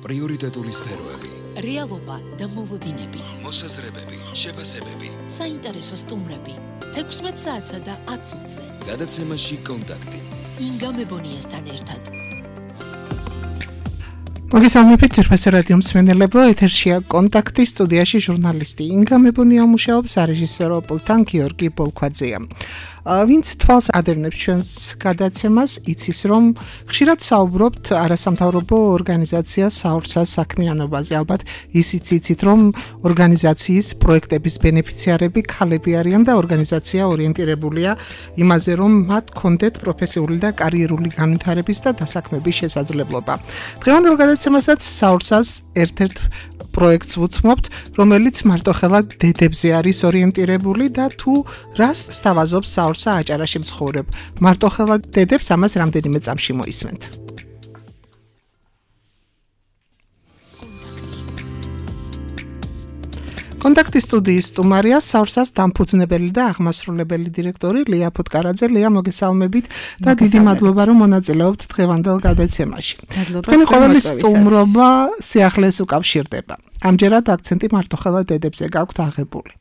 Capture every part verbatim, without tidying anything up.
პრიორიტეტული სფეროები, რეალობა და მოლოდინები, მოსაზრებები, შეფასებები, საინტერესო სტუმრები, თექვსმეტ საათსა და ათ წუთზე. გადაცემაში კონტაქტი. ინგა მებონიასთან ერთად. მოგესალმებით ძვირფასო რადიო მსმენელებო, ეთერშია კონტაქტი, სტუდიაში ჟურნალისტი ინგა მებონია მუშაობს, სარეჟისორო პულტთან გიორგი ბოლქვაძეა. ვინც თვალს ადევნებს ჩვენს გადაცემას, იცის რომ ხშირად საუბრობთ არასამთავრობო ორგანიზაცია საურსას საქმიანობაზე. ალბათ ისიც იცით რომ ორგანიზაციის პროექტების ბენეფიციარები ქალები არიან და ორგანიზაცია ორიენტირებულია იმაზე რომ მათ კონდეთ პროფესიული და კარიერული განვითარების და დასაქმების შესაძლებლობა. დღევანდელ გადაცემასაც საურსას ერთ-ერთ პროექტს ვუთმობთ, რომელიც მარტოხელა დედებზე არის ორიენტირებული და თუ რას სთავაზობს საურსა აჭარაში მცხოვრებ მარტოხელა დედებს, ამას რამდენიმე წამში მოისმენთ. კონტაქტის სტუდიის სტუმარია საურსას დამფუძნებელი და აღმასრულებელი დირექტორი ლია ფუტკარაძე. ლია, მოგესალმებით და დიდი მადლობა რომ მონაწილეობთ დღევანდელ გადაცემაში. თქვენი ყოველი სტუმრობა სიახლეს უკავშირდება. ამჯერად აქცენტი მარტოხელა დედებზე გაქვთ აღებული.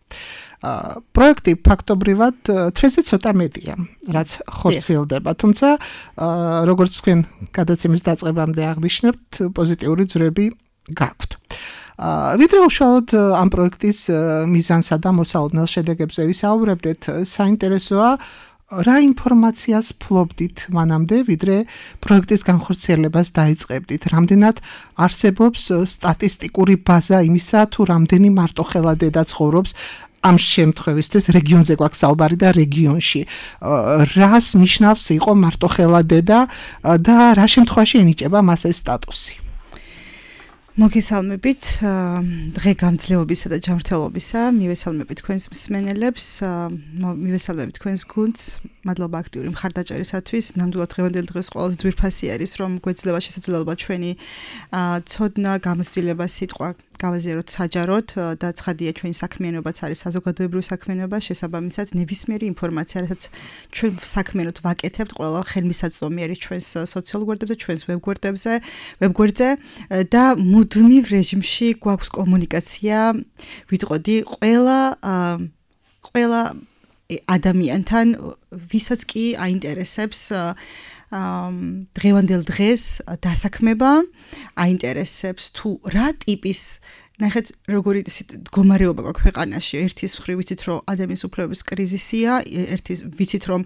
პროექტი ფაქტობრივად თვეზე ცოტა მეტია, რაც ხორციელდება, თუმცა როგორც თქვენ გადაცემის დაწყებამდე აღნიშნებთ, პოზიტიური ძვრები გაქვთ. ვიდრე უშუალოდ ამ პროექტის მიზანსა და მოსაოდნელ შედეგებზე ვისაუბრებდეთ, საინტერესოა რა ინფორმაციას ფლობდით მანამდე, ვიდრე პროექტის განხორციელებას დაიწყებდით? რამდენად არსებობს სტატისტიკური ბაზა იმისა, თუ რამდენი მარტოხელა დედა ცხოვრობს ამ შემთხვევისთვის რეგიონზე გვაქვს საუბარი და რეგიონში რას ნიშნავს იყო მარტოხელა დედა და რა შემთხვევაში ენიჭება მას ეს სტატუსი? მოგესალმებით დღე გამძლეობისა და ჯანმრთელობისა, მივესალმებით თქვენს მსმენელებს, მივესალმებით თქვენს გუნდს, მადლობა აქტიური მხარდაჭერისათვის. ნამდვილად დღევანდელი დღეს ყველაზე ძვირფასი არის, რომ გვეძლება შესაძლებლობა ჩვენი ცოდნა, გამოცდილება, სიტყვა გავაზიაროთ საჯაროდ და ცხადია ჩვენი საქმიანობაც არის საზოგადოებრივი საქმიანობა, შესაბამისად ნებისმიერი ინფორმაცია, რასაც ჩვენ საქმიანოდ ვაკეთებთ, ყველა ხელმისაწვდომი არის ჩვენს სოციალურ გვერდებზე, ჩვენს ვებგვერდებზე, ვებგვერდზე და მუდმივ რეჟიმში გვაქვს კომუნიკაცია, ვიტყოდი ყველა ყველა ადამიანთან, ვისაც კი აინტერესებს დღევანდელ დღეს დასაქმება, აინტერესებს თუ რა ტიპის ნახეთ როგორი მდგომარეობა გვაქვს ქვეყანაში. ერთის მხრივ ვიცით რომ ადამიანის უფლებების კრიზისია, ერთის ვიცით რომ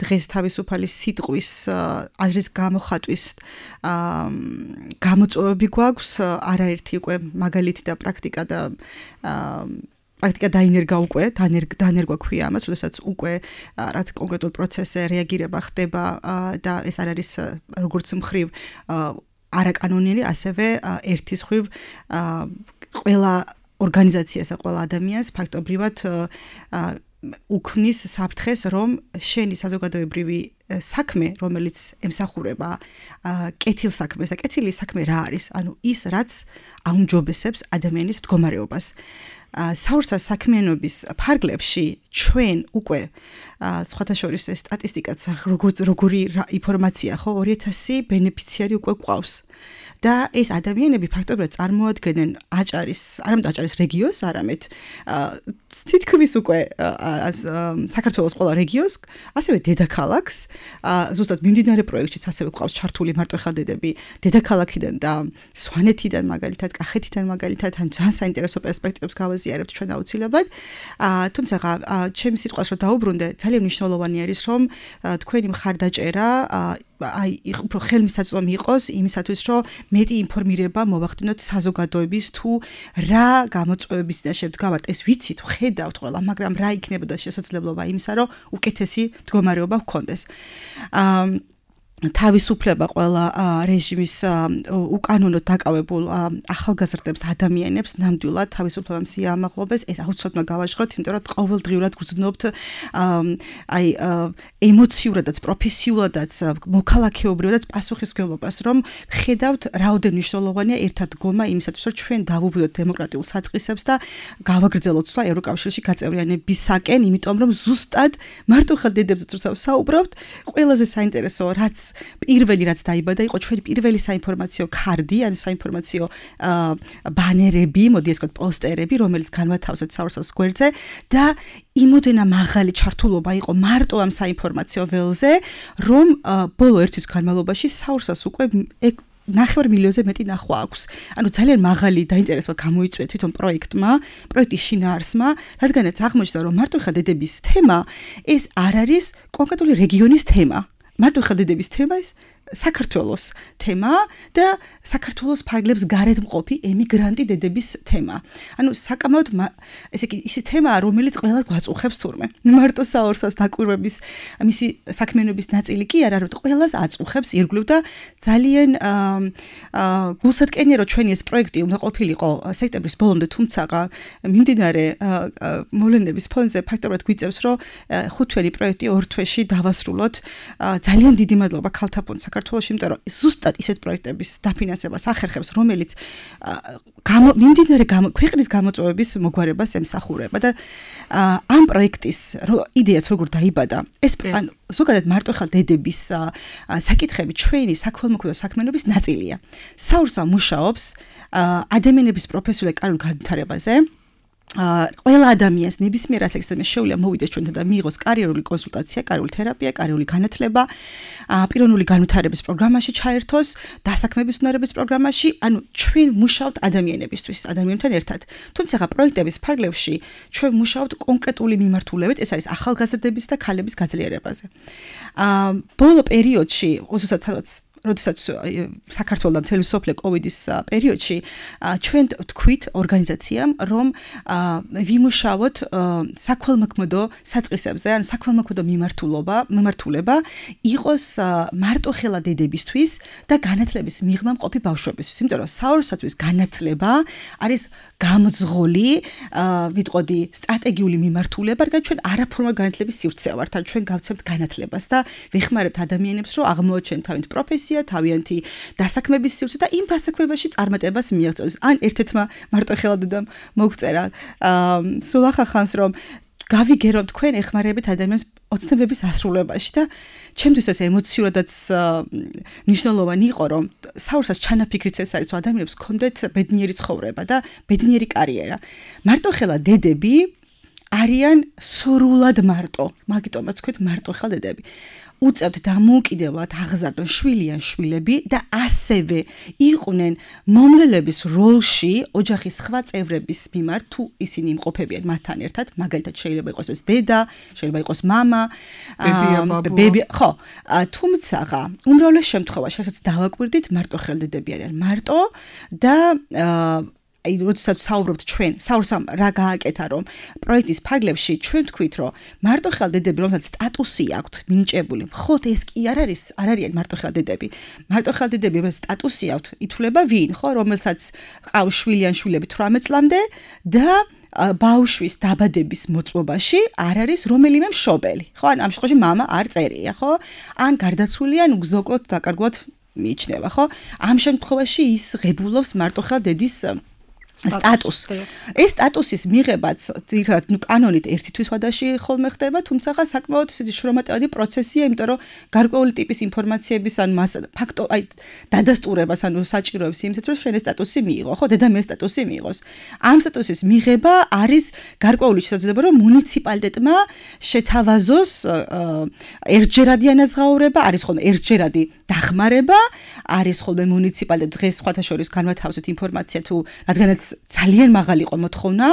დღეს თავისუფალი სიტყვის აზრის გამოხატვის გამოწვევები გვაქვს, არაერთი უკვე მაგალითი და პრაქტიკა და პრაქტიკა დაინერგა უკვე, დანერგვა ქვია ამას, როდესაც უკვე რაც კონკრეტულ პროცესზე რეაგირება ხდება და ეს არ არის როგორც მხრივ არაკანონიერი, ასევე ერთის მხრივ ყველა ორგანიზაციას და ყველა ადამიანს ფაქტობრივად უქმნის საფრთხეს, რომ შენი საზოგადოებრივი საქმე, რომელიც ემსახურება კეთილ საქმეს და კეთილი საქმე რა არის? ანუ ის, რაც აუმჯობესებს ადამიანის მდგომარეობას. საურსას საქმიანობის ფარგლებში ჩვენ უკვე სხვათა შორის ეს სტატისტიკაც როგორი ინფორმაცია ხო ორი ათასი ბენეფიციარი უკვე გვყავს და ეს ადამიანები ფაქტობრივად წარმოადგენენ აჭარის, არამედ აჭარის რეგიონს, არამედ თითქმის უკვე საქართველოს ყველა რეგიონს, ასევე დედაქალაქს, ზუსტად მიმდინარე პროექტშიც ასევე გვყავს ჩართული მარტოხელა დედები დედაქალაქიდან და სვანეთიდან მაგალითად, კახეთიდან მაგალითად, ან ძალიან საინტერესო პერსპექტივებს გავაზიარებთ ჩვენ აუცილებლად. თუმცა ჩემი სიტყვას რომ დაუბრუნდე, ძალიან მნიშვნელოვანი არის რომ თქვენი მხარდაჭერა აი უფრო ხელმისაწვდომი იყოს იმისათვის, რომ მეტი ინფორმირება მოვახდინოთ საზოგადოების თუ რა გამოწვევების და შემდგავად ეს ვიცით, ხედავთ ყველა, მაგრამ რა იქნებოდა შესაძლებლობა იმისა, რომ უკეთესი მდგომარეობა გქონდეს. თავისუფლება ყველა რეჟიმის უკანონოდ დაკავებულ ახალგაზრდებს და ადამიანებს ნამდვილად თავისუფლებამ სიამაღლობეს, ეს აუცილებლად გავაჟღოთ, იმიტომ რომ ყოველდღიურად გრძნობთ აი ემოციურადაც, პროფესიულადაც, მოქალაქეობრივადაც პასუხისმგებლობას, რომ ხედავთ რაოდენ მნიშვნელოვანია ერთად დგომა იმისათვის, რომ ჩვენ დავუბრუნდეთ დემოკრატიულ საწყისებს და გავაგრძელოთ სვლა ევროკავშირში გაწევრიანებისაკენ, იმიტომ რომ ზუსტად მარტოხელა დედებზე როცა საუბრობთ, ყველაზე საინტერესო რაც პირველი რაც დაიბადა იყო ჩვენი პირველი საინფორმაციო ქარდი, ანუ საინფორმაციო ბანერები, მოდი ეს ვთქვათ, პოსტერები, რომელიც განვათავსეთ საურსას გვერდზე და იმოდენა მაღალი ჩართულობა იყო მარტო ამ საინფორმაციო ველზე, რომ ბოლო ერთ თვის განმავლობაში საურსას უკვე ნახევარ მილიონზე მეტი ნახვა აქვს. ანუ ძალიან მაღალი დაინტერესება გამოიწვია თვითონ პროექტმა, პროექტის შინაარსმა, რადგანაც აღმოჩნდა, რომ მარტო ხელდედების თემა ეს არ არის კონკრეტული რეგიონის თემა. მარტო ხელდედების თემა ეს საქართველოს თემა და საქართველოს ფარგლებს გარეთ მყოფი ემიგრანტი დედების თემა. ანუ საკამოდ ესე იგი ისი თემაა, რომელიც ყველა გვაწუხებს თურმე. მარტო საურსას დაკვირვების მისი საქმიანობის ნაწილი კი არა, რომ ყველას აწუხებს ირგვლივ და ძალიან გულსატკენია, რომ ჩვენი ეს პროექტი უნდა ყოფილიყო სექტემბრის ბოლომდე, თუმცა მიმდინარე მოვლენების ფონზე ფაქტობრივად გვიწევს, რომ ხუთთვიანი პროექტი ორ თვეში დავასრულოთ. ძალიან დიდი მადლობა ქალთა ფონდს საქართველოში, იმიტომ რომ ზუსტად ისეთ პროექტების დაფინანსებას ახერხებს, რომელიც მიმდინარე ქვეყნის გამოწვევების მოგვარებას ემსახურება და ამ პროექტის იდეაც როგორ დაიბადა, ეს ანუ ზოგადად მარტო ხელდედების საკითხები ჩვენი საქველმოქმედო საქმიანობის ნაწილია. საურსა მუშაობს ადამიანების პროფესიული კარიერულ განვითარებაზე. ყველა ადამიანს ნებისმიერ ასაკისთან შეუძლია მოვიდეს ჩვენთან და მიიღოს კარიერული კონსულტაცია, კარიერული თერაპია, კარიერული განათლება, პიროვნული განვითარების პროგრამაში ჩაერთოს, დასაქმების უნარების პროგრამაში, ანუ ჩვენ მუშაობთ ადამიანებისთვის, ადამიანთან ერთად. თუმცა პროექტების ფარგლებში ჩვენ მუშაობთ კონკრეტული მიმართულებით, ეს არის ახალგაზრდების და ქალების გაძლიერებაზე. ბოლო პერიოდში, ოსოსაც როდესაც საქართველოს და მთელი სოფლე კოვიდის პერიოდში ჩვენ თქვით ორგანიზაციამ, რომ ვიმუშაოთ საქველმოქმედო საწყისებზე, ანუ საქველმოქმედო მიმართულობა, მიმართულება იყოს მარტო ხელა დედებისთვის და განათლების მიღმა მყოფი ბავშვებისთვის. იმიტომ რომ საურსათვის განათლება არის გამძღოლი, ვიტყოდი, სტრატეგიული მიმართულება, რადგან ჩვენ არაფორმალ განათლების სივრცეა ვართ, ან ჩვენ გავცემთ განათლებას და ვეხმარებთ ადამიანებს, რომ აღმოაჩენთ თავიანთი პროფესია, თავიანთი დასაქმების სივრცე და იმ დასაქმებაში წარმატებას მიაღწიოს. ან ერთ-ერთმა მარტო ხელა დედამ მოგწერა სულ ახალ ხანს, რომ გავიგერო თქვენ ეხმარებით ადამიანს ოცნებების ასრულებაში და ჩემთვის ეს ემოციურადაც მნიშვნელოვანი იყო, რომ საურსას ჩანაფიქრიც ეს არის, რომ ადამიანებს ჰქონდეთ ბედნიერი ცხოვრება და ბედნიერი კარიერა. მარტო ხელა დედები არიან სრულად მარტო, მაგიტომაც თქვით მარტო ხელა დედები. უწევთ დამოუკიდებლად აღზარდონ შვილი ან შვილები და ასევე იყვნენ მომლელების როლში ოჯახის სხვა წევრების მიმართ, თუ ისინი იმყოფებიან მათთან ერთად, მაგალითად შეიძლება იყოს ეს დედა, შეიძლება იყოს მამა, ბები, ხო, თუმცა უმრავლეს შემთხვევაში, რასაც დავაკვირდით, მარტო ხელდედები არიან მარტო და აი როდესაც საუბრობთ ჩვენ საურსამ რა გააკეთა, რომ პროექტის ფარგლებში ჩვენ თქვით, რომ მარტო ხელდედები, რომელსაც სტატუსი აქვთ მინიჭებული, მხოლოდ ეს კი არ არის, არ არიან მარტო ხელდედები. მარტო ხელდედები, რომელსაც სტატუსი აქვთ, ითვლება ვინ, ხო, რომელსაც ყავს შვილი ან შვილები თვრამეტ წლამდე და ბავშვის დაბადების მოწმობაში არ არის რომელიმე მშობელი. ხო, ან ამ შემთხვევაში მამა არ წერია, ხო? ან გარდაცვლილი, ან უგზოკლოდ დაკარგვად მიიჩნევა, ხო? ამ შემთხვევაში ის ღებულობს მარტო ხელდედის სტატუს. ეს სტატუსის მიღებაც ძირითადად ნუ კანონით ერთი თვის ვადაში ხოლმე ხდება, თუმცა საკმაოდ ისეთი შრომატევადი პროცესია, იმიტომ რომ გარკვეული ტიპის ინფორმაციების ან მას ფაქტო აი დადასტურებას ანუ საჭიროებს იმით, რომ შენ ეს სტატუსი მიიღო, ხო, დედამ ეს სტატუსი მიიღოს. ამ სტატუსის მიღება არის გარკვეული შესაძლებლობა, რომ მუნიციპალიტეტმა შეთავაზოს ერთჯერადი ანაზღაურება, არის ხოლმე ერთჯერადი დახმარება, არის ხოლმე მუნიციპალიტეტ დღეს სხვათა შორის განვათავსეთ ინფორმაცია თუ რადგანაც ძალიან მაღალი იყო მოთხოვნა,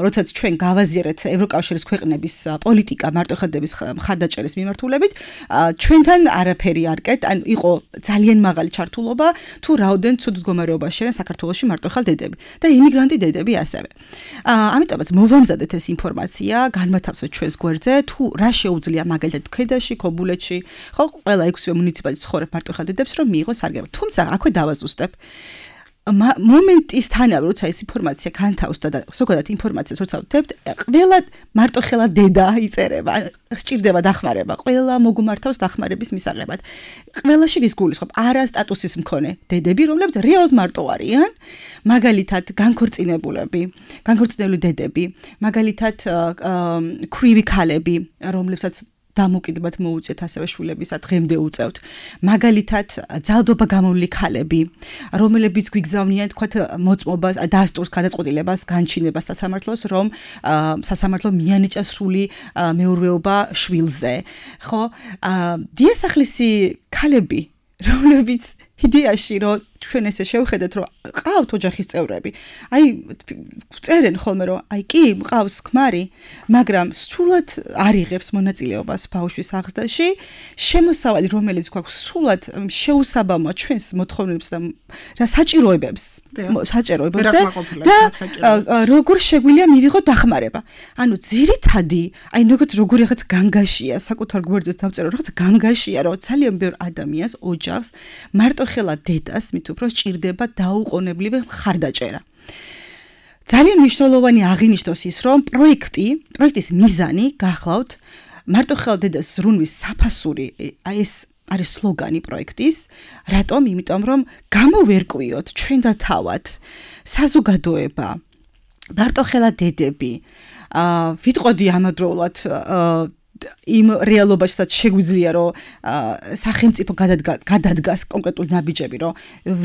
როდესაც ჩვენ გავაზიარეთ ევროკავშირის ქვეყნების პოლიტიკა მარტო ხელდების მხარდაჭერის მიმართულებით, ჩვენთან არაფერი არ კეთ, ან იყო ძალიან მაღალი ჩართულობა, თუ რაოდენ ცუდ მდგომარეობაშია საქართველოში მარტო ხელდედები და იმიგრანტი დედები ასევე. ამიტომაც მოვამზადეთ ეს ინფორმაცია, განვათავსოთ ჩვენს გვერდზე, თუ რა შეუძლია მაგალითად ქედაში, ქობულეთში, ხო, ყველა ექვსივე მუნიციპალიტეტი ცხოვრებ მარტო ხელდედებს, რომ მიიღოს სარგებლობა. თუმცა აქვე დავაზუსტებ. მომენტის თანავე, როცა ეს ინფორმაცია განთავსდა და ზოგადად ინფორმაციას როცა ვდებთ, ყველა მარტო ხელა დედა იწერება, სჭირდება დახმარება, ყველა მოგუმართავს დახმარების მისაღებად. ყველაში ვის გულისხმობ, არა სტატუსის მქონე დედები, რომლებიც რეალურად მარტო არიან, მაგალითად განქორწინებულები, განქორწინებული დედები, მაგალითად ქვრივი ქალები, რომლებსაც დამოკიდებად მოუწიეთ ასევე შვილებისა დღემდე უწევთ. მაგალითად, ძალდობა გამოვლილი ქალები, რომლებიც გვიგზავნიან თქვათ მოწმობას, დასტურს, გადაწყვეტილებას, განჩინებას სასამართლოს, რომ სასამართლო მიანიჭა სრული მეურვეობა შვილზე. ხო? დიასახლისი ქალები, რომლებიც იდეაში რომ ჩვენ ესე შევხედეთ რომ ყავთ ოჯახის წევრები. აი წერენ ხოლმე რომ აი კი მყავს ქმარი, მაგრამ სრულად არ იღებს მონაწილეობას ბავშვის აღზრდაში, შემოსავალი რომელიც გვაქვს სრულად შეუსაბამოა ჩვენს მოთხოვნებს და რა საჭიროებებს, საჭიროებებზე და როგორ შეგვიძლია მივიღოთ დახმარება. ანუ ძირითადი, აი როგორც როგორი რაღაც განგაშია, საკუთარ გვერდზე დავწერო რაღაც განგაშია, რომ ძალიან ბევრ ადამიანს ოჯახს მარტო ხელა დედას მით უფრო სჭირდება დაუყოვნებლივე მხარდაჭერა. ძალიან მნიშვნელოვანი აღინიშნოს ის, რომ პროექტი, პროექტის მიზანი გახლავთ მარტო ხელა დედას ზრუნვის საფასური, აი ეს არის სლოგანი პროექტის, რატომ? იმიტომ რომ გამოვერკვიოთ ჩვენ და თავად საზოგადოება, მარტო ხელა დედები, აა ვიტყოდი ამავდროულად იმ რეალობაშიც შეგვიძლია რომ სახელმწიფო გადადგას კონკრეტულ ნაბიჯები რომ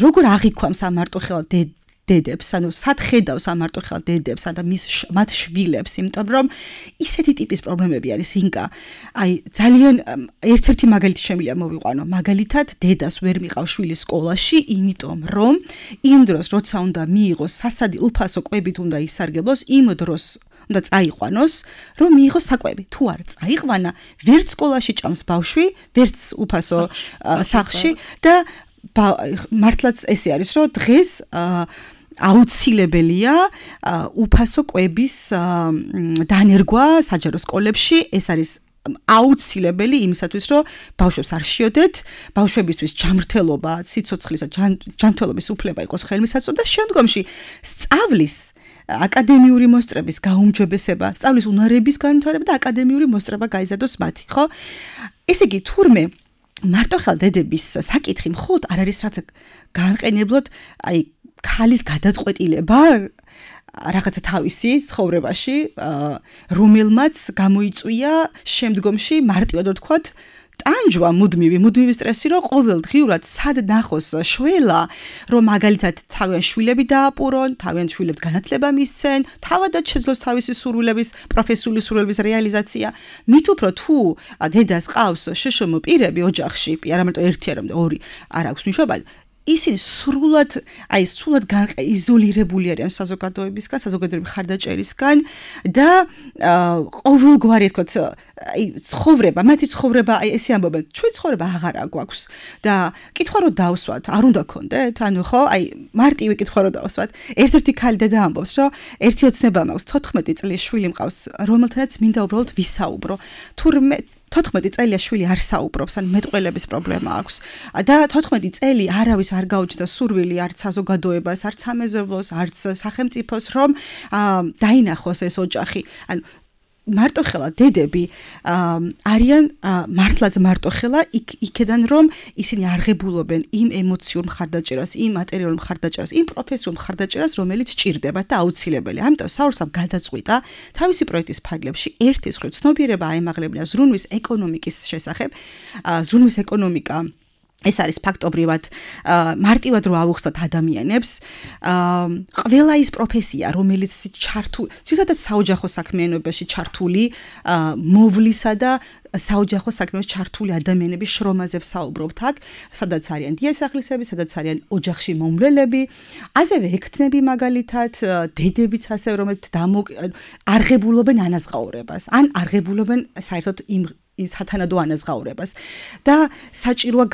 როგორ აღიქვამს ამ მარტოხელა დედებს, ანუ სად ხედავს ამ მარტოხელა დედებს და მის მათ შვილებს, იმიტომ რომ ისეთი ტიპის პრობლემები არის ინკა. აი ძალიან ერთ-ერთი მაგალითი შემიძლია მოვიყვანო. მაგალითად, დედას ვერ მიყავს შვილი სკოლაში, იმიტომ რომ იმ დროს როცა უნდა მიიღოს სასადი უფასო კვებით უნდა ისარგებლოს, იმ დროს უნდა წაიყვანოს, რომ მიიღოს საკვები. თუ არ წაიყვანა, ვერც სკოლაში ჭამს ბავშვი, ვერც უფასო სახლში და მართლაც ესე არის, რომ დღეს აუცილებელია უფასო კვების დანერგვა საჯარო სკოლებში, ეს არის აუცილებელი იმისათვის, რომ ბავშვებს არ შიოდეთ, ბავშვებისთვის ჯანმრთელობა, სიცოცხლის და ჯანმრთელობის უფლება იყოს ხელმისაწვდომი და შემდგომში სწავლის აკადემიური მოსწრების გაუმჯობესება, სწავლის უნარების განვითარება და აკადემიური მოსწრება გაიზარდოს მათი, ხო? ესე იგი, თურმე მარტოხელა დედების საკითხი მხოლოდ არ არის რაც განყენებლად, აი, ქალის გადაწყვეტილება რაღაცა თავისი ცხოვრებაში, რომელმაც გამოიწვია შემდგომში მარტივად ვთქვათ, ტანჯვა მუდმივი, მუდმივი სტრესი, რომ ყოველდღიურად სად ნახოს შველა, რომ მაგალითად თავიანთ შვილები დააპურონ, თავიანთ შვილებს განათლება მისცენ, თავადაც შეძლოს თავისი სურვილების, პროფესიული სურვილების რეალიზაცია. მით უფრო თუ დედას ყავს შეშმო პირები ოჯახში, არა მარტო ერთი, არამედ ორი, არ აქვს მნიშვნელობა. ისინი სრულად, აი სრულად იზოლირებული არიან საზოგადოებისგან, საზოგადოების მხარდაჭერისგან და ყოველგვარი თქო, აი ცხოვრება, მათი ცხოვრება, აი ესე ამბობენ, ჩვენ ცხოვრება აღარა გვაქვს და კითხვა რომ დავსვათ, არ უნდა გქონდეთ? ანუ ხო, აი მარტივი კითხვა რომ დავსვათ. ერთ-ერთი ქალი დედა ამბობს, რომ ერთი ოცნება მაქვს, თოთხმეტი წლის შვილი მყავს, რომელთანაც მინდა უბრალოდ ვისაუბრო. თურმე თოთხმეტი წელია შვილი არ საუბრობს, ან მეტყველების პრობლემა აქვს. და თოთხმეტი წელი არავის არ გაუჩნდა სურვილი არც საზოგადოებას, არც სამეზობლოს, არც სახელმწიფოს, რომ დაინახოს ეს ოჯახი. ანუ მარტოხელა დედები არიან მართლაც მარტოხელა იქედან რომ ისინი არღებულობენ იმ ემოციურ მხარდაჭერას, იმ მატერიალურ მხარდაჭერას, იმ პროფესიულ მხარდაჭერას, რომელიც ჭირდებათ და აუცილებელია. ამიტომ საურსამ გადაწყვიტა თავისი პროექტის ფარგლებში ერთის მხრივ ცნობიერება აემაღლებინა ზრუნვის ეკონომიკის შესახებ, ზრუნვის ეკონომიკა ეს არის ფაქტობრივად მარტივად რო ავუხსნათ ადამიანებს, ყველა ის პროფესია, რომელიც ჩართული, ზოგადად საოჯახო საქმიანობაში ჩართული მოვლისა და საოჯახო საქმეებში ჩართული ადამიანების შრომაზე ვსაუბრობთ აქ, სადაც არიან დიასახლისები, სადაც არიან ოჯახში მომვლელები, ასევე ექთნები მაგალითად, დედებიც ასევე რომელიც არღებულობენ ანაზღაურებას, ან არღებულობენ საერთოდ იმ სათანადო ანაზღაურებას და საჭიროა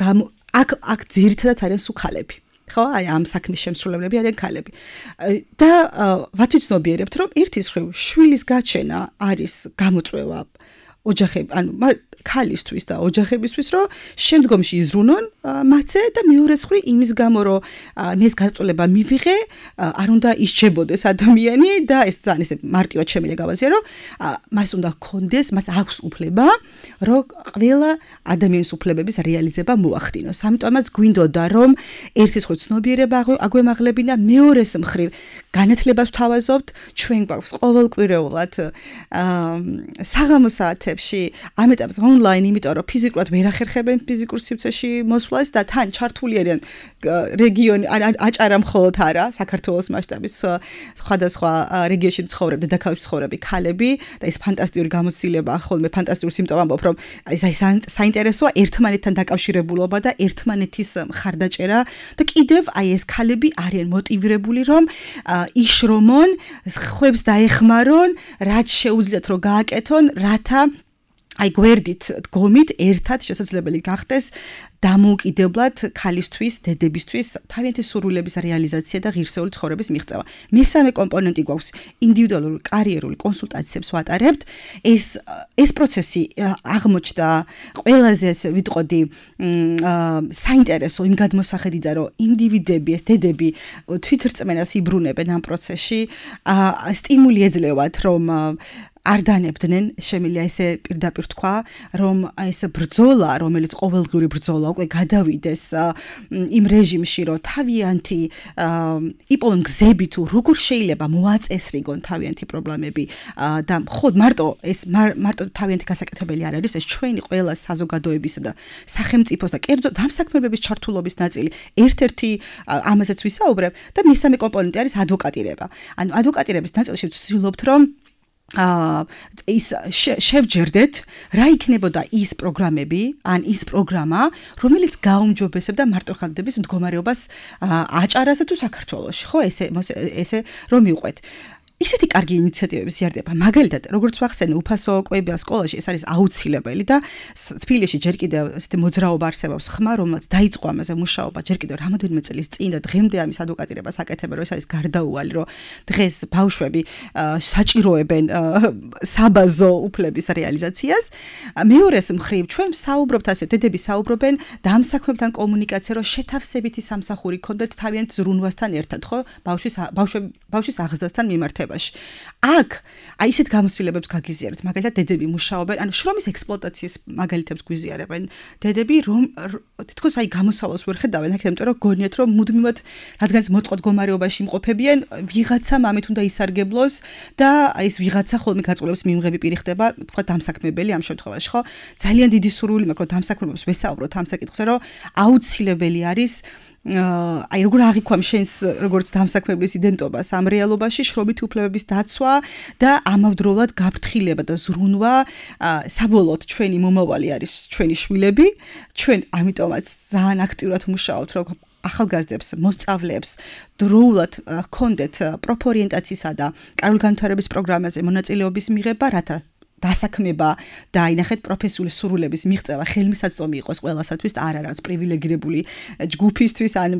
აქ აქ ძირითადად არიან სუქალები. ხო, აი ამ საქმის შემსრულებლები არიან ქალები. და ვათვიცნობიერებთ, რომ ერთის მხრივ შვილის გაჩენა არის გამოწვევა ოჯახები, ანუ ქალისთვის და ოჯახებისთვის, რომ შემდგომში იზრუნონ მათზე და მეორე მხრივ იმის გამო, რომ მის გაწოლება მივიღე, არ უნდა ისჩებოდეს ადამიანი და ეს ძალიან ესე მარტივად შემიძლია გავაზიარო, რომ მას უნდა ჰქონდეს, მას აქვს უფლება, რომ ყველა ადამიანის უფლებების რეალიზება მოახდინოს. ამიტომაც გვინდოდა, რომ ერთის მხრივ ცნობიერება აგვემაღლებინა, მეორეს მხრივ განათლებას ვთავაზობთ, ჩვენ გვაქვს ყოველკვირეულად საღამო საათებში ამ ეტაპზე ონლაინ, იმიტომ რომ ფიზიკურად ვერ ახერხებენ ფიზიკურ სივრცეში მოსვლას და თან ჩართული არიან რეგიონი აჭარა მხოლოდ არა, საქართველოს მასშტაბის სხვადასხვა რეგიონში ცხოვრებ, დედაქალაქში ცხოვრები ქალები და ეს ფანტასტიკური გამოცდილება, ხოლმე ფანტასტიკური სიმპტომი ამბობ, რომ ეს აი საინტერესოა ერთმანეთთან დაკავშირებულობა და ერთმანეთის მხარდაჭერა და კიდევ აი ეს ქალები არიან მოტივირებული, რომ იშრომონ, ხვებს დაეხმარონ, რაც შეუძლიათ რომ გააკეთონ, რათა აი გვერდით დგომით ერთად შესაძლებელი გახდეს დამოუკიდებლად ქალისთვის, დედებისთვის თავიანთი სურვილების რეალიზაცია და ღირსეული ცხოვრების მიღწევა. მესამე კომპონენტი გვაქვს ინდივიდუალური კარიერული კონსულტაციებს ვატარებთ. ეს ეს პროცესი აღმოჩნდა ყველაზე ესე ვიტყოდი საინტერესო იმ გადმოსახედიდან, რომ ინდივიდები, ეს დედები თვითრწმენას იბრუნებენ ამ პროცესში, სტიმული ეძლევათ, რომ არ დანებდნენ, შემიძლია ესე პირდაპირ თქვა, რომ ეს ბრძოლა, რომელიც ყოველდღიური ბრძოლა უკვე გადავიდეს იმ რეჟიმში, რომ თავიანთი იპოვონ გზები თუ როგორ შეიძლება მოაწესრიგონ თავიანთი პრობლემები და ხოდ მარტო ეს მარტო თავიანთი გასაკეთებელი არ არის, ეს ჩვენი ყველა საზოგადოებისა და სახელმწიფოს და კერძო დამსაქმებების ჩართულობის ნაწილი. ერთ-ერთი ამასაც ვისაუბრებ და მესამე კომპონენტი არის ადვოკატირება. ანუ ადვოკატირების ნაწილში ვცდილობთ, რომ აა ის შევჯერდეთ რა იქნებოდა ის პროგრამები, ან ის პროგრამა, რომელიც გაუმჯობესებდა მარტოხალდების მდგომარეობას აჭარასა თუ საქართველოში, ხო, ესე ესე რომ მიყვეთ. ისეთი კარგი ინიციატივები ზიარდება. მაგალითად, როგორც ვახსენე, უფასო კვებია სკოლაში, ეს არის აუცილებელი და თბილისში ჯერ კიდევ ესეთი მოძრაობა არსებობს ხმა, რომელიც დაიწყო ამაზე მუშაობა ჯერ კიდევ რამოდენიმე წლის წინ და დღემდე ამის ადვოკატირებას აკეთებენ, რომ ეს არის გარდაუვალი, რომ დღეს ბავშვები საჭიროებენ საბაზო უფლების რეალიზაციას. მეორეს მხრივ, ჩვენ საუბრობთ ასე, დედები საუბრობენ დამსაქმებთან კომუნიკაცია, რომ შეთავსებითი სამსახური ქონდეთ თავიანთ ზრუნვასთან ერთად, ხო? ბავშვის ბავშვის აღზრდასთან მიმართება. აქ აი ისეთ გამოცდილებებს გაგიზიარებთ, მაგალითად დედები მუშაობენ, ანუ შრომის ექსპლუატაციის მაგალითებს გვიზიარებენ. დედები რომ თითქოს აი გამოსავალს ვერ ხედავენ, აქ იმიტომ რომ გონიათ რომ მუდმივად რადგანაც მოტყვა მდგომარეობაში იმყოფებიან, ვიღაცა მამით უნდა ისარგებლოს და აი ეს ვიღაცა ხოლმე გაწყვეტილების მიმღები პირი ხდება, თქვა დამსაქმებელი ამ შემთხვევაში, ხო? ძალიან დიდი სურვილი მაქვს, რომ დამსაქმებებს ვესაუბროთ ამ საკითხზე, რომ აუცილებელი არის აი როგორ აღიქვამ შენს როგორც დამსაქმებლის იდენტობას ამ რეალობაში, შრომითი უფლებების დაცვა და ამავდროულად გაფრთხილება და ზრუნვა. საბოლოოდ ჩვენი მომავალი არის ჩვენი შვილები, ჩვენ ამიტომაც ძალიან აქტიურად მუშაობთ, რომ ახალგაზრდებს, მოსწავლეებს დროულად ჰქონდეთ პროფორიენტაციისა და კარგგანვითარების პროგრამაზე მონაწილეობის მიღება, რათა დასაქმება და აინახეთ პროფესიული სურვილების მიღწევა ხელმისაწვდომი იყოს ყველასათვის, არა რაც პრივილეგირებული ჯგუფისთვის ან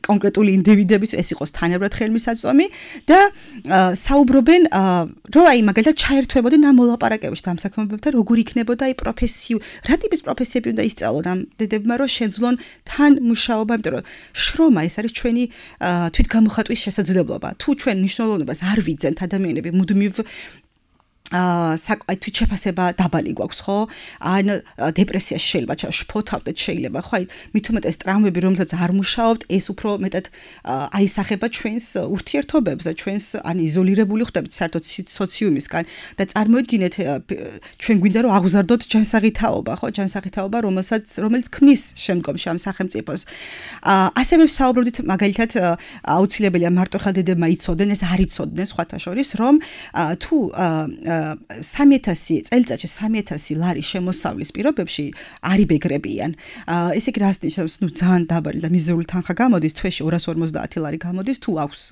კონკრეტული ინდივიდების, ეს იყოს თანაბრად ხელმისაწვდომი და საუბრობენ, რომ აი მაგალითად ჩაერთვებოდნენ ამ მოლაპარაკებებში დამსაქმებებთან, როგორ იქნებოდა აი პროფესიუ, რა ტიპის პროფესიები უნდა ისწავლონ ამ დედებმა, რომ შეძლონ თან მუშაობა, იმიტომ რომ შრომა ეს არის ჩვენი თვითგამოხატვის შესაძლებლობა. თუ ჩვენ მნიშვნელოვნებას არ ვიძენთ ადამიანები მუდმივ აა თვითშეფასება დაბალი გვაქვს, ხო? ან დეპრესიაში შეიძლება შფოთავდეთ, შეიძლება, ხო? აი მით უმეტეს ტრამვები, რომელსაც არ მუშაობთ, ეს უფრო მეტად აისახება ჩვენს ურთიერთობებზე, ჩვენს ან იზოლირებული ხდებით საერთოდ სოციუმისგან და წარმოიდგინეთ, ჩვენ გვინდა რომ აღზარდოთ ჯანსაღი თაობა, ხო? ჯანსაღი თაობა, რომელსაც რომელიც ქმნის შემდგომში ამ სახელმწიფოს. ასევე ვსაუბრობთ მაგალითად აუცილებელია მარტოხელდებმა იცოდნენ, ეს არ იცოდნენ სხვათა შორის, რომ თუ სამი ათასი წელიწადში სამი ათასი ლარი შემოსავლის პირობებში არიბეგრებიან. ესე იგი რას ნიშნავს, ნუ ძალიან დაბალი და მიზერული თანხა გამოდის, თვეში ორას ორმოცდაათი ლარი გამოდის, თუ აქვს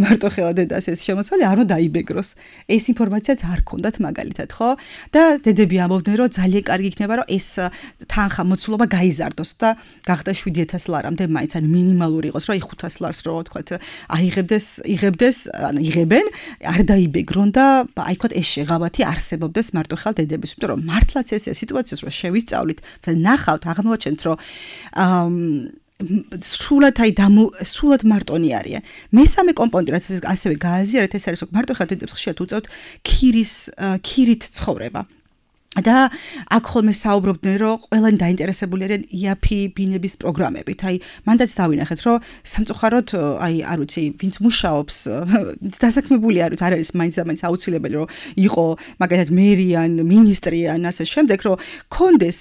მარტო ხელად დედას ეს შემოსავალი არ უნდა დაიბეგროს. ეს ინფორმაციაც არ ქონდათ მაგალითად, ხო? და დედები ამბობდნენ, რომ ძალიან კარგი იქნება, რომ ეს თანხა მოცულობა გაიზარდოს და გახდა შვიდი ათასი ლარამდე მაინც ან მინიმალური იყოს, რომ აი ხუთას ლარს რო ვთქვათ, აიღებდეს, იღებდეს, ან იღებენ, არ დაიბეგრონ და აი ვთქვათ ეს შეღავათი არსებობდეს მარტო ხელად დედების, იმიტომ რომ მართლაც ეს სიტუაციას რო შევისწავლით და ნახავთ, აღმოაჩენთ, რომ აა სრულად აი დამო სრულად მარტონი არიან. მესამე კომპონენტი, რაც ასევე გააზიარეთ, ეს არის რომ მარტო ხელად დედებს ხშირად უწევთ ქირის ქირით ცხოვრება. და აქ ხოლმე საუბრობდნენ, რომ ყველანი დაინტერესებული არიან ი эй პი ბინების პროგრამებით. აი, მანდაც დავინახეთ, რომ სამწუხაროდ, აი, არ ვიცი, ვინც მუშაობს, დასაქმებული არის, არ არის მაინც-მაინც აუცილებელი, რომ იყო მაგალითად მერიან, მინისტრიან, ასე შემდეგ, რომ კონდეს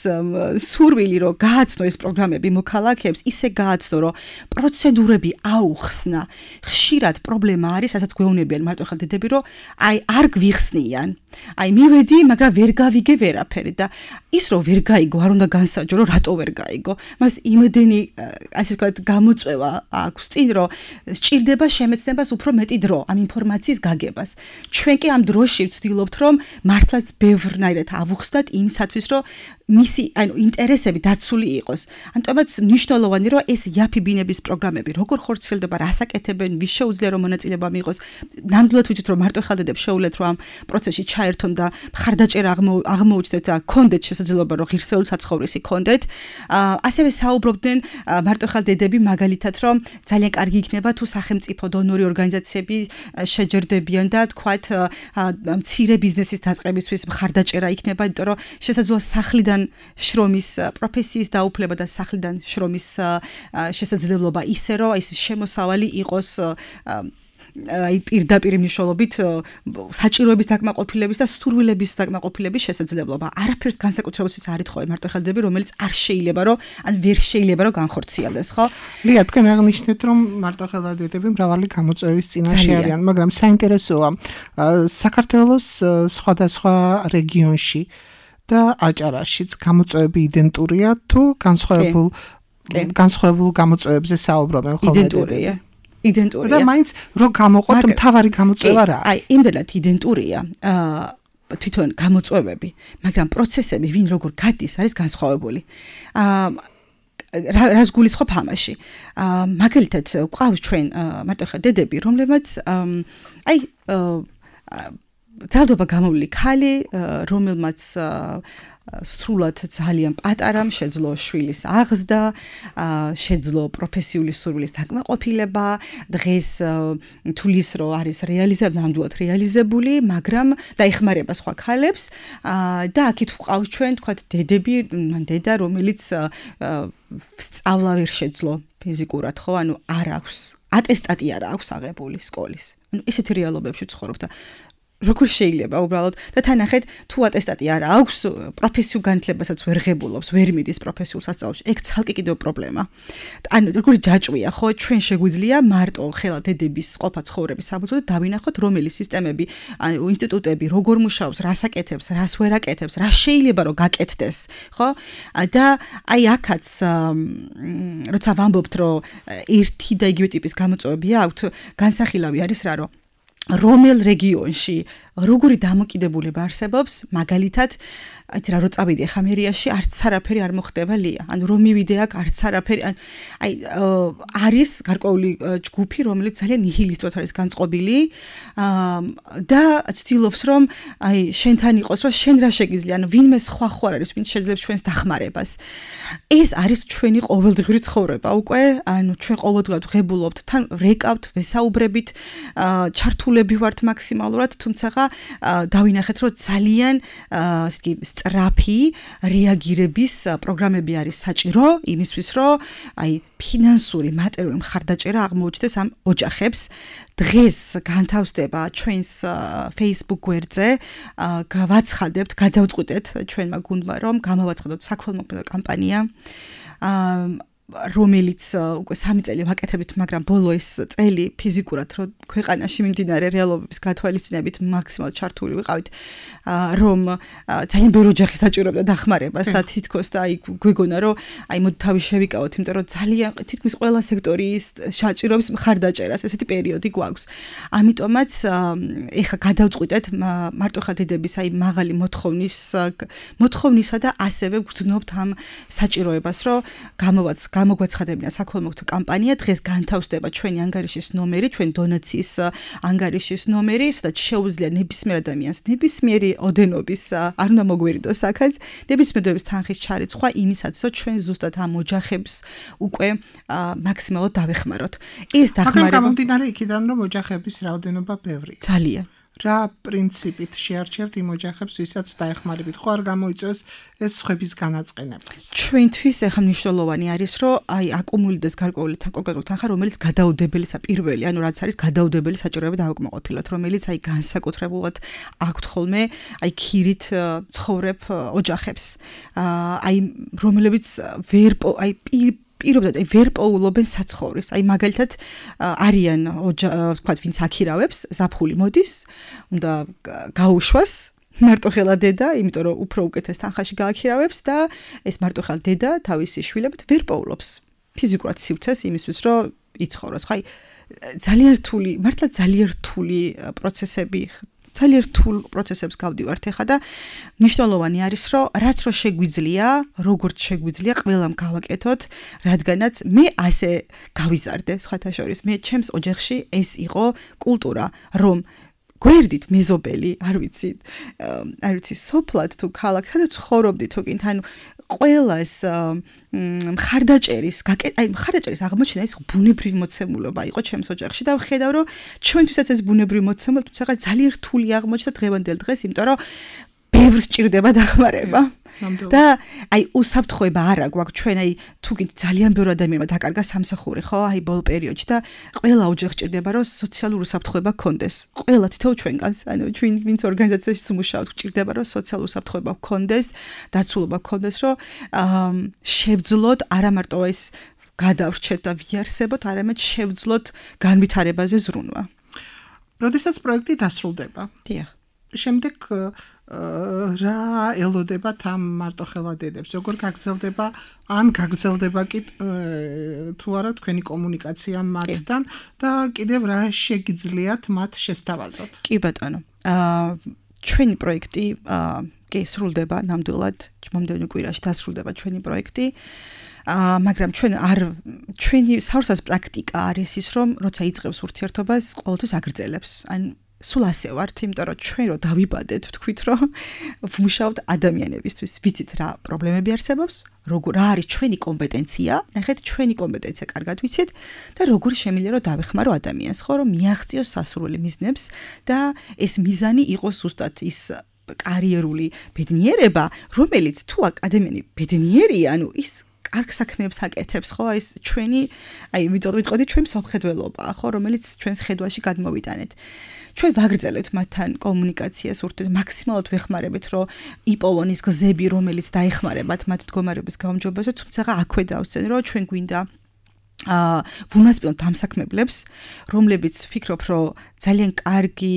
სურვილი, რომ გააცნო ეს პროგრამები მოქალაქეებს, ისე გააცნო, რომ პროცედურები აუხსნა. ხშირად პრობლემა არის, რასაც გვეუბნებიან მარტო ხელდედები, რომ აი, არ გვიხსნიან. აი, მივედი, მაგრამ ვერ გავიგე ვერაფერი და ის რომ ვერ გაიგო, არ უნდა განსაჯო, რომ რატო ვერ გაიგო. მას იმედენი, ასე ვთქვათ, გამოწვევა აქვს წინ, რომ სჭირდება შემეცნებას უფრო მეტი დრო ამ ინფორმაციის გაგებას. ჩვენ კი ამ დროში ვცდილობთ, რომ მართლაც ბევრნაირად ავუხსნათ იმისათვის, რომ მისი, ანუ ინტერესები დაცული იყოს. ამიტომაც მნიშვნელოვანი, რომ ეს ი эй პი ბინების პროგრამები როგორ ხორციელდება, რას აკეთებენ, ვის შეუძლია რომ მონაწილეობა მიიღოს. ნამდვილად ვიცით, რომ მარტო ხელდედებს შეუძლეთ, რომ ამ პროცესში ჩაერთონ და მხარდაჭერა აღმოუჩნდეთ და კონდეთ შესაძლებლობა, რომ ღირსეული საცხოვრისი კონდეთ. ასევე საუბრობდნენ მარტო ხელდედები მაგალითად, რომ ძალიან კარგი იქნება თუ სახელმწიფო დონორი ორგანიზაციები შეჯერდებიან და თქვათ მცირე ბიზნესის დაწყებისთვის მხარდაჭერა იქნება, იმიტომ რომ შესაძლოა სახლიდან შრომის პროფესიის დაუფლება და სახლიდან შრომის შესაძლებლობა ისე რომ ის შემოსავალი იყოს აი პირდაპირ მნიშვნელობით საჭიროების დაკმაყოფილების და სურვილების დაკმაყოფილების შესაძლებლობა. არაფერს განსაკუთრებულიც არ ითხოვე მარტო ხელდები, რომელიც არ შეიძლება რომ ან ვერ შეიძლება რომ განხორციელდეს, ხო? ლია, თქვენ აღნიშნეთ, რომ მარტო ხელდედები მრავალი გამოწვევის წინაშე არიან, მაგრამ საინტერესოა საქართველოს სხვადასხვა რეგიონში და აჭარაშიც გამოწვევები იდენტურია თუ განსხვავებულ განსხვავებულ გამოწვევებზე საუბრობენ ხოლმე? იდენტურია. იდენტურია. და მაინც რო გამოყოთ მთავარი გამოწვევა რა? აი, იმდენად იდენტურია. აა თვითონ გამოწვევები, მაგრამ პროცესები ვინ როგორ გადის არის განსხვავებული. აა რას გულისხმობ ამაში? აა მაგალითად, ყავს ჩვენ მარტო ხელდედები, რომლებმაც აი ძალდობა გამოვლი ქალი, რომელმაც სრულად ძალიან პატარამ შეძლო შვილის აღზრდა, შეძლო პროფესიული სურვილის დაკმაყოფილება, დღეს თulis რო არის რეალიზებული, ნამდვილად რეალიზებული, მაგრამ დაიხმარება სხვა ქალებს და აქეთ ვყავს ჩვენ, თქვათ, დედები, მან დედა, რომელიც სწავლა ვერ შეძლო ფიზიკურად, ხო, ანუ არ აქვს, ატესტატი არ აქვს აღებული სკოლის. ანუ ესეთი რეალობებში ცხოვრობ და როგორ შეიძლება უბრალოდ და თანახეთ თუ ატესტატი არ აქვს პროფესიულ განათლებასაც ვერ ღებულობს, ვერ მიდის პროფესიულ სასწავლებლში, ეგ ცალკე კიდევ პრობლემა. ანუ როგორი ჯაჭვია, ხო, ჩვენ შეგვიძლია მარტო ხელა დედების ყოფა ცხოვრების საფუძვლად დავინახოთ, რომელი სისტემები, ანუ ინსტიტუტები როგორ მუშაობს, რას აკეთებს, რას ვერ აკეთებს, რა შეიძლება რომ გაკეთდეს, ხო? და აი აქაც როცა ვამბობთ, რომ ერთი და იგივე ტიპის გამოწვევები აქვთ, განსახილავი არის რა, რომ რომელ რეგიონში როგორი დამოკიდებულება არსებობს, მაგალითად, აი რა რო წავიდე ხამერიაში, არც არაფერი არ მოხდება ლია. ანუ რომ მივიდე აქ, არც არაფერი, აი არის გარკვეული ჯგუფი, რომელიც ძალიან ნიჰილისტურად არის განწყობილი და ცდილობს, რომ აი შენთან იყოს, რომ შენ რა შეგიძლია, ანუ ვინმე სხვა ხო არ არის, ვინც შეძლებს ჩვენს დახმარებას. ეს არის ჩვენი ყოველდღიური ცხოვრება უკვე, ანუ ჩვენ ყოველდღურად ღებულობთ, თან რეკავთ, ვესაუბრებით, ჩართულები ვართ მაქსიმალურად, თუმცა დავინახეთ, რომ ძალიან ასე იგი სწრაფი რეაგირების პროგრამები არის საჭირო იმისთვის, რომ აი ფინანსური, მატერიალური მხარდაჭერა აღმოუჩნდეს ამ ოჯახებს. დღეს განთავსდება ჩვენს Facebook გვერდზე, გავაცხადებთ, გადავწყვიტეთ ჩვენმა გუნდმა, რომ გამოვაცხადოთ საქველმოქმედო კამპანია. რომელიც უკვე სამი წელი ვაკეთებით, მაგრამ ბოლო ეს წელი ფიზიკურად რომ ქვეყანაში მიმდინარე რეალობების გათვალისწინებით მაქსიმალურად ჩართული ვიყავით, რომ ძალიან ბევრი ოჯახი საჭიროებდა დახმარებას და თითქოს და აი გვეგონა რომ აი მოდი თავი შევიკავოთ, იმიტომ რომ ძალიან თითქმის ყველა სექტორის საჭიროების მხარდაჭერას ესეთი პერიოდი გვაქვს. ამიტომაც ეხა გადავწყვიტეთ მარტო ხელდედების აი მაღალი მოთხოვნის მოთხოვნისა და ასევე გრძნობთ ამ საჭიროებას, რომ გამოვაც გამოგვაცხადებინა საქველმოქმედო კამპანია, დღეს განთავსდება ჩვენი ანგარიშის ნომერი, ჩვენ დონაციის ანგარიშის ნომერი, სადაც შეუძლია ნებისმიერ ადამიანს, ნებისმიერი ოდენობის, არ უნდა მოგვერიდოს აქაც, ნებისმიერების თანხის ჩარიცხვა იმისათვის, რომ ჩვენ ზუსტად ამ ოჯახებს უკვე მაქსიმალურად დავეხმაროთ. ეს დახმარება მაგრამ გამომდინარე იქიდან, რომ ოჯახების რაოდენობა ბევრია. ძალიან რა პრინციპით შეარჩევთ იმ ოჯახებს, ვისაც დაეხმარებით, ხო არ გამოიწვევს ეს სხვების განაწყენებას. ჩვენთვის ახლა მნიშვნელოვანი არის, რომ აი აკუმულირდეს გარკვეული კონკრეტული თანხა, რომელიც გადაუდებელია პირველი, ანუ რაც არის გადაუდებელი საჭიროება დავაკმაყოფილოთ, რომელიც აი განსაკუთრებულად აქვთ ხოლმე აი ქირით ცხოვრებ ოჯახებს. აი რომლებიც ვერ აი პირობდად აი ვერ პოულობენ საცხოვრის. აი მაგალითად არიან ვთქვათ, ვინც აქირავებს, ზაფხული მოდის, უნდა გაუშვას მარტოხელა დედა, იმიტომ რომ უფრო უკეთეს თანხაში გააქირავებს და ეს მარტოხელა დედა თავისი შვილებით ვერ პოულობს ფიზიკურად სივრცეს იმისთვის, რომ იცხოვროს. ხაი ძალიან რთული, მართლა ძალიან რთული პროცესები ძალიან რთულ პროცესებს გავდივართ ახლა და მნიშვნელოვანი არის, რომ რაც რო შეგვიძლია, როგორც შეგვიძლია, ყველამ გავაკეთოთ, რადგანაც მე ასე გავიზარდე, სხვათა შორის, მე ჩემს ოჯახში ეს იყო კულტურა, რომ გვერდით მეზობელი, არ ვიცი, არ ვიცი, სოფლად თუ ქალაქთან ცხოვრობდი თუ კინთ, ანუ ყველას მხარდაჭერის, აი მხარდაჭერის აღმოჩენა ის ბუნებრივი მოცემულობა იყო ჩემს ოჯახში და ვხედავ, რომ ჩვენთვისაც ეს ბუნებრივი მოცემულობა თუმცა ძალიან რთული აღმოჩნდა დღევანდელ დღეს, იმიტომ რომ ბევრს ჭირდება დახმარება. და აი უსაფრთხოება არა გვაქვს ჩვენ აი თუ კიდე ძალიან ბევრი ადამიანმა დაკარგა სამსახური, ხო? აი ბოლო პერიოდში და ყველა ოჯახს ჭირდება რომ სოციალური უსაფრთხოება გქონდეს. ყველა თითოეულ ჩვენგანს, ანუ ჩვენ ვინც ორგანიზაციაში მუშაობთ, ჭირდება რომ სოციალური უსაფრთხოება გქონდეს, დაცულობა გქონდეს, რომ შევძლოთ არა მარტო ეს გადავრჩეთ და ვიარსებოთ, არამედ შევძლოთ განვითარებაზე ზრუნვა. როდესაც პროექტი დასრულდება. დიახ. შემდეგ რა ელოდებათ ამ მარტოხელა დედებს, როგორ გაგრძელდება ან გაგრძელდება კი თუ არა თქვენი კომუნიკაცია მათთან და კიდევ რა შეგიძლიათ მათ შესთავაზოთ. კი ბატონო. აა ჩვენი პროექტი კი სრულდება ნამდვილად, მომდევნო კვირაში დასრულდება ჩვენი პროექტი. აა მაგრამ ჩვენ არ ჩვენი საურსას პრაქტიკა არის ის, რომ როცა იწყებს ურთიერთობას, ყოველთვის აგრძელებს. ან სულ ასე ვართ, იმიტომ რომ ჩვენ რო დავიბადეთ, ვთქვით, რომ ვმუშაობთ ადამიანებისთვის, ვიცით რა პრობლემები არსებობს, როგორ რა არის ჩვენი კომპეტენცია, ნახეთ, ჩვენი კომპეტენცია კარგად ვიცით და როგორ შემიძლია რომ დავეხმარო ადამიანს, ხო, რომ მიაღწიოს სასურველი მიზნებს და ეს მიზანი იყოს ზუსტად ის კარიერული ბედნიერება, რომელიც თუ ადამიანი ბედნიერია, ანუ ის კარგ საქმეებს აკეთებს, ხო, აი ეს ჩვენი, აი ვიტყოდი ჩვენ სამხედველობაა, ხო, რომელიც ჩვენს ხედვაში გადმოვიტანეთ. ჩვენ ვაგრძელებთ მათთან კომუნიკაციას, ურთიერთ მაქსიმალურად ვეხმარებით, რომ იპოვონ ის გზები, რომელიც დაეხმარებათ მათ მდგომარეობის გაუმჯობესებას, თუმცა აქვე დავსწენ, რომ ჩვენ გვინდა აა ვუმასპინოთ დამსაქმებლებს, რომლებიც ვფიქრობ, რომ ძალიან კარგი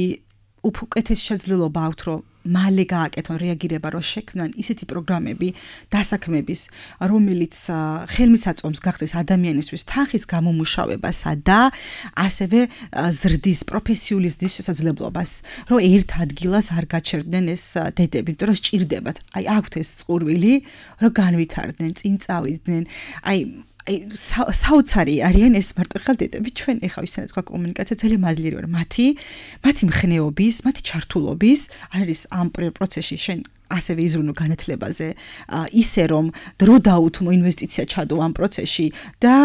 უკეთესი შესაძლებლობა აქვთ, რომ მალე გააკეთონ რეაგირება, რომ შექმნან ისეთი პროგრამები დასაქმების, რომელიც ხელმისაწვდომს გახდეს ადამიანისთვის თანხის გამომუშავებასა და ასევე ზრდის პროფესიული ზრდის შესაძლებლობას, რომ ერთ ადგილას არ გაჩერდნენ ეს დედები, იმიტომ რომ სჭირდებათ. აი აქვთ ეს წყურვილი, რომ განვითარდნენ, წინ წავიდნენ. აი აი საოცარი არიან ეს მარტოხელა დედები. ჩვენ ეხლა ვისენაც გვაქვს კომუნიკაცია ძალიან მადლიერი ვარ მათი, მათი მხნეობის, მათი ჩართულობის, არის ამ პროცესში შენ ასევე იზრუნო განათლებაზე, ისე რომ დრო დაუთმო ინვესტიცია ჩადო ამ პროცესში და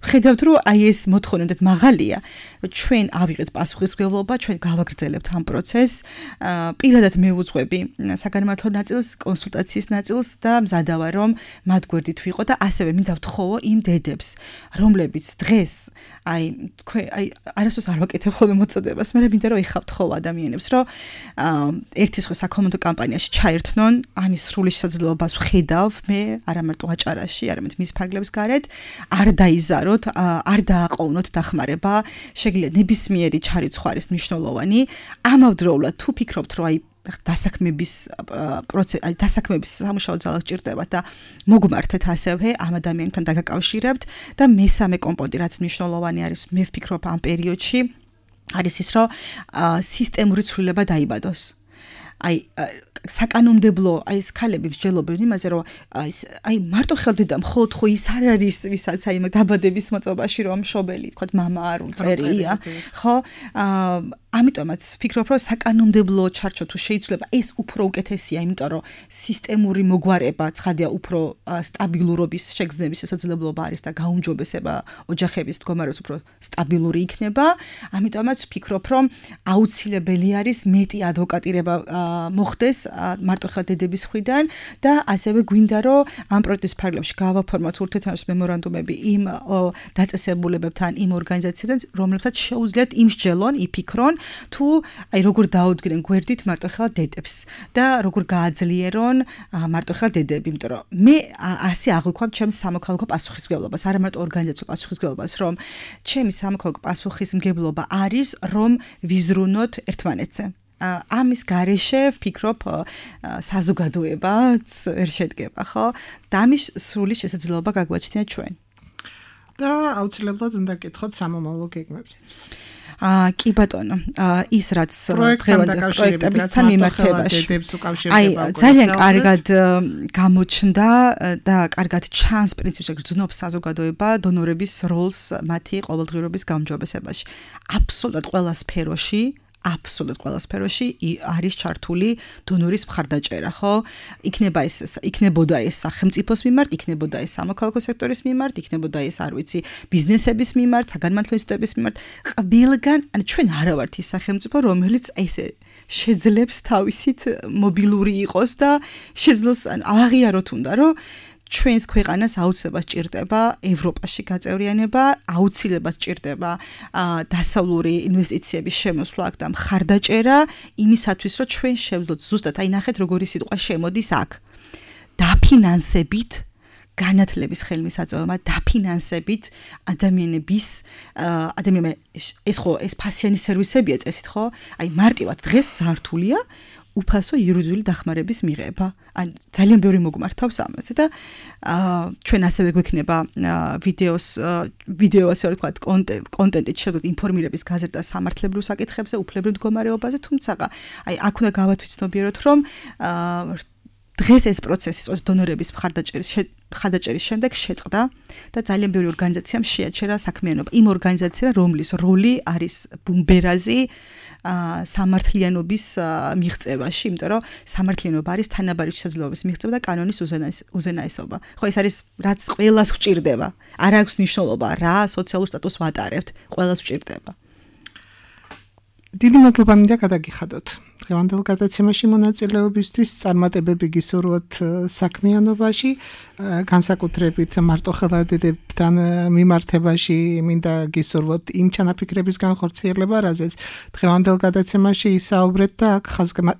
ხედავთ რომ აი ეს მოთხოვნა უნდა მაღალია, ჩვენ ავიღეთ პასუხისმგებლობა, ჩვენ გავაგრძელებთ ამ პროცესს, პირადად მე ვუძღვები საგანმანათლებლო ნაწილს, კონსულტაციის ნაწილს და მზადა ვარ რომ მათ გვერდით ვიყო და ასევე მინდა ვთხოვო იმ დედებს, რომლებიც დღეს აი თქვენ აი არასდროს არ ვაკეთებ ხოლმე მოწოდებას, მაგრამ მინდა რომ ეხავ თხოვ ადამიანებს, რომ ერთის ხო საკომუნიკაციო კამპანიაში ჩაერთნონ, ამის სრული შესაძლებლობას ვხედავ მე, არა მარტო აჭარაში, არამედ მის ფარგლებს გარეთ, არ დაიზაროთ, არ დააყოვნოთ დახმარება, შეგიძლიათ ნებისმიერი ჩარიცხვა არის მნიშვნელოვანი, ამავდროულად თუ ფიქრობთ, რომ აი დასაქმების პროცესი, აი დასაქმების სამუშაო ძალა გჭირდებათ და მოგმართეთ ასევე ამ ადამიანთან დაგაკავშირებთ და მესამე კომპონენტი, რაც მნიშვნელოვანი არის, მე ვფიქრობ ამ პერიოდში, არის ის, რომ სისტემური ცვლილება დაიბადოს. აი საკანონმდებლო აი ეს ქალები მსჯელობენ იმაზე, რომ აი აი მარტო ხელდედა მხოლოდ ხო ის არ არის, ვისაც აი დაბადების მოწობაში რომ მშობელი, თქო, მამა არ უწერია, ხო? აა ამიტომაც ვფიქრობ, რომ საკანონმდებლო ჩარჩო თუ შეიძლება ეს უფრო უკეთესია, იმიტომ რომ სისტემური მოგვარება ცხადია უფრო სტაბილურობის შეგრძნების შესაძლებლობა არის და გაუმჯობესება ოჯახების მდგომარეობის უფრო სტაბილური იქნება. ამიტომაც ვფიქრობ, რომ აუცილებელი არის მეტი ადვოკატირება მოხდეს მარტოხელა დედების მხრიდან და ასევე გვინდა რომ ამ პროექტის ფარგლებში გავაფორმოთ ურთიერთთანხმობის მემორანდუმები იმ დაწესებულებებთან, იმ ორგანიზაციებთან, რომლებსაც შეუძლიათ იმსჯელონ, იფიქრონ თუ აი როგორ დაუდგნენ გვერდით მარტოხელა დედებს და როგორ გააძლიერონ მარტოხელა დედები, იმიტომ რომ მე ასე აღვიქვამ ჩემს სამოქალაქო პასუხისმგებლობას, არა მარტო ორგანიზაციო პასუხისმგებლობას, რომ ჩემი სამოქალაქო პასუხისმგებლობა არის, რომ ვიზრუნოთ ერთმანეთზე. ამის გარეშე ვფიქრობ საზოგადოებაც ვერ შედგება, ხო? და ამის სრული შესაძლებლობა გაგვაჩნია ჩვენ. და აუცილებლად უნდა გკითხოთ სამომავლო გეგმებზეც. აა კი ბატონო, ის რაც დღევანდელ პროექტებთან მიმართებაში. აი, ძალიან კარგად გამოჩნდა და კარგად ჩანს პრინციპში გრძნობს საზოგადოება დონორების როლს მათი ყოველდღიურობის გაუმჯობესებაში. აბსოლუტურად ყველა სფეროში აბსოლუტურად ყველა სფეროში არის ჩართული დონორის მხარდაჭერა, ხო? იქნება ეს იქნებოდა ეს სახელმწიფოს მიმართ, იქნებოდა ეს სამოქალაქო სექტორის მიმართ, იქნებოდა ეს, არ ვიცი, ბიზნესების მიმართ, საგანმანათლებლო ინსტიტუტების მიმართ. ყველგან, ანუ ჩვენ არა ვართ ის სახელმწიფო, რომელიც ესე შეძლებს თავისით მობილური იყოს და შეძლოს აღიაროთ უნდა, რომ ჩვენს ქვეყანას აუცილებლად სჭირდება ევროპაში გაწევრიანება, აუცილებლად სჭირდება დასავლური ინვესტიციების შემოსვლა და მხარდაჭერა იმისათვის, რომ ჩვენ შევძლოთ ზუსტად, აი ნახეთ როგორი სიტყვა შემოდის აქ. დაფინანსებით განათლების ხელმისაწვდომობა, დაფინანსებით ადამიანების ადამიანები ეს ხო ეს ფასიანი სერვისებია წესით, ხო? აი მარტივად დღეს ძართულია უფასო იურიდიული დახმარების მიღება. ან ძალიან ბევრი მოგმართავს ამაზე და ჩვენ ასევე გვექნება ვიდეოს ვიდეო ასე ვთქვათ კონტენტით შეგვიძლია ინფორმირების გაზრდა სამართლებრივ საკითხებზე, უფლებრივ მდგომარეობაზე, თუმცა აი აქ უნდა გავათვიცნობიეროთ, რომ დღეს ეს პროცესი სწორედ დონორების მხარდაჭერის მხარდაჭერის შემდეგ შეწყდა და ძალიან ბევრი ორგანიზაციამ შეაჩერა საქმიანობა. იმ ორგანიზაციამ, რომლის როლი არის ბუმბერაზი სამართლიანობის მიღწევაში, იმიტომ რომ სამართლიანობა არის თანაბარი შესაძლებლობის მიღწევა და კანონის უზენაესობა. ხო, ეს არის რაც ყველას გვჭირდება. არ აქვს მნიშვნელობა რა სოციალურ სტატუსს ვატარებთ, ყველას გვჭირდება. დიდი მადლობა მინდა გადაგიხადოთ. დღევანდელ გადაცემაში მონაწილეობისთვის წარმატებები გისურვოთ საქმიანობაში, განსაკუთრებით მარტოხელა დედებთან მიმართებაში მინდა გისურვოთ იმ ჩანაფიქრების განხორციელება, რაზეც დღევანდელ გადაცემაში ისაუბრეთ და აქ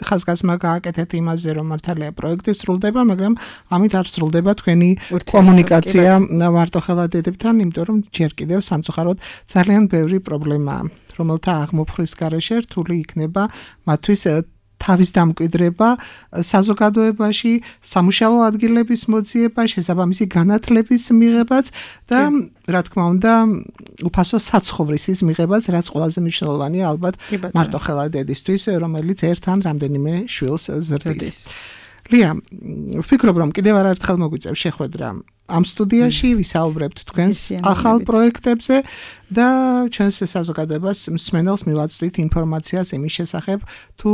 ხაზგასმა გააკეთეთ იმაზე, რომ მართალია პროექტი სრულდება, მაგრამ ამით არ სრულდება თქვენი კომუნიკაცია მარტოხელა დედებთან, იმიტომ რომ ჯერ კიდევ სამწუხაროდ ძალიან ბევრი პრობლემაა. რომელთა აღმოფხრის გარეშე რთული იქნება მათთვის თავის დამკვიდრება საზოგადოებაში, სამუშაო ადგილების მოძიება, შესაბამისი განათლების მიღებაც და რა თქმა უნდა, უფასო საცხოვრისის მიღებაც, რაც ყველაზე მნიშვნელოვანია ალბათ მარტოხელა დედისთვის, რომელიც ერთ ან რამდენიმე შვილს ზრდის. ლია, ვფიქრობ, რომ კიდევ არაერთხელ მოგვიწევს შეხვედრა ამ სტუდიაში, ვისაუბრებთ თქვენს ახალ პროექტებზე და ჩვენს საზოგადოებას მსმენელს მივაწვდით ინფორმაციას იმის შესახებ, თუ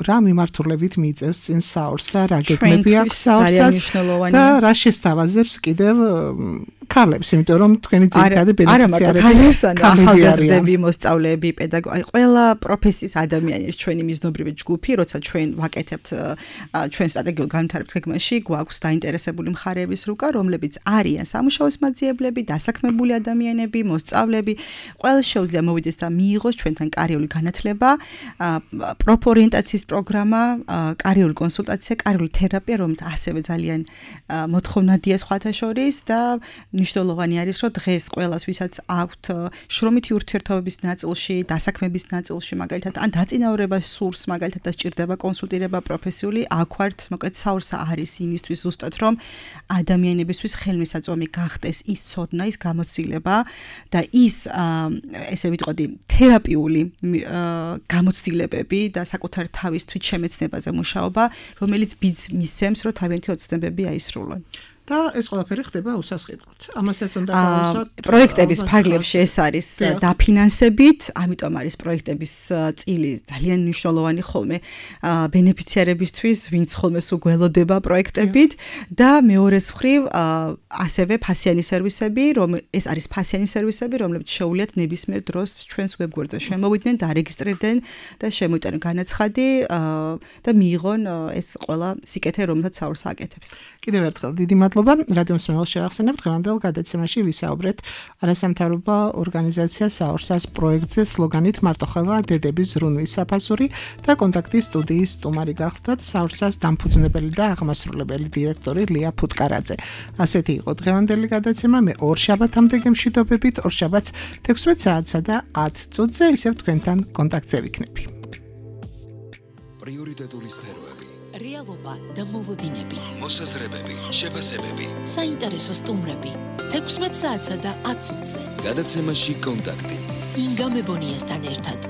რა მიმართულებით მიიწევს წინ საორსა, რა გეგმები აქვს საორსას და რა შესთავაზებს კიდევ ქალებს, იმიტომ რომ თქვენი ძირითადი ბენეფიციარები ახალგაზრდები, მოსწავლეები, პედაგოგი, ყველა პროფესიის ადამიანის ჩვენი მიზნობრივი ჯგუფი, როცა ჩვენ ვაკეთებთ ჩვენ სტრატეგიულ განვითარების გეგმაში, გვაქვს დაინტერესებული მხარეების რუკა, რომლებიც არიან სამუშაოს მაძიებლები, დასაქმებული ადამიანები, მოსწავლეები, ყველა შეუძლია მოვიდეს და მიიღოს ჩვენთან კარიერული განათლება, პროფორიენტაციის პროგრამა, კარიერული კონსულტაცია, კარიერული თერაპია, რომელიც ასევე ძალიან მოთხოვნადია სხვათა შორის და მნიშვნელოვანი არის, რომ დღეს ყველას, ვისაც აქვთ შრომითი ურთიერთობების ნაწილში, დასაქმების ნაწილში, მაგალითად, ან დაწინაურებას სურს, მაგალითად, და სჭირდება კონსულტირება პროფესიული, აქ ვართ, მოკლედ საორსა არის იმისთვის ზუსტად, რომ ადამიანებისთვის ხელმისაწვდომი გახდეს ის ცოდნა, ის გამოცდილება და ის ესე ვიტყოდი, თერაპიული გამოცდილებები და საკუთარ თავის თვითშემეცნებაზე მუშაობა, რომელიც ბიძს მისცემს, რომ თავიანთი ოცნებები აისრულონ. და და ეს ყველაფერი ხდება უსასყიდლოდ. ამასაც უნდა გავუსვათ. პროექტების ფარგლებში ეს არის დაფინანსებით, ამიტომ არის პროექტების წილი ძალიან მნიშვნელოვანი ხოლმე ბენეფიციარებისთვის, ვინც ხოლმე სულ გველოდება პროექტებით და მეორეს მხრივ ასევე ფასიანი სერვისები, რომ ეს არის ფასიანი სერვისები, რომლებიც შეუძლიათ ნებისმიერ დროს ჩვენს ვებგვერდზე შემოვიდნენ, დარეგისტრირდნენ და შემოიტანონ განაცხადი და მიიღონ ეს ყველა სიკეთე, რომელსაც საურს აკეთებს. კიდევ ერთხელ დიდი მადლობა. რადიო მსმენელს შევახსენებთ დღევანდელ გადაცემაში ვისაუბრეთ არასამთავრობო ორგანიზაცია საურსას პროექტზე სლოგანით მარტოხელა დედების ზრუნვის საფასური და კონტაქტის სტუდიის სტუმარი გახლდათ საურსას დამფუძნებელი და აღმასრულებელი დირექტორი ლია ფუტკარაძე. ასეთი იყო დღევანდელი გადაცემა. მე ორ შაბათამდე გემშვიდობებით, ორ შაბათს თექვსმეტ საათსა და ათ წუთზე ისევ თქვენთან კონტაქტზე ვიქნები. პრიორიტეტული სფეროები, რეალობა და მოლოდინები, მოსაზრებები, შეფასებები, საინტერესო სტუმრები, თექვსმეტ საათსა და ათ წუთზე. გადაცემაში კონტაქტი. ინგა მებონიასთან ერთად.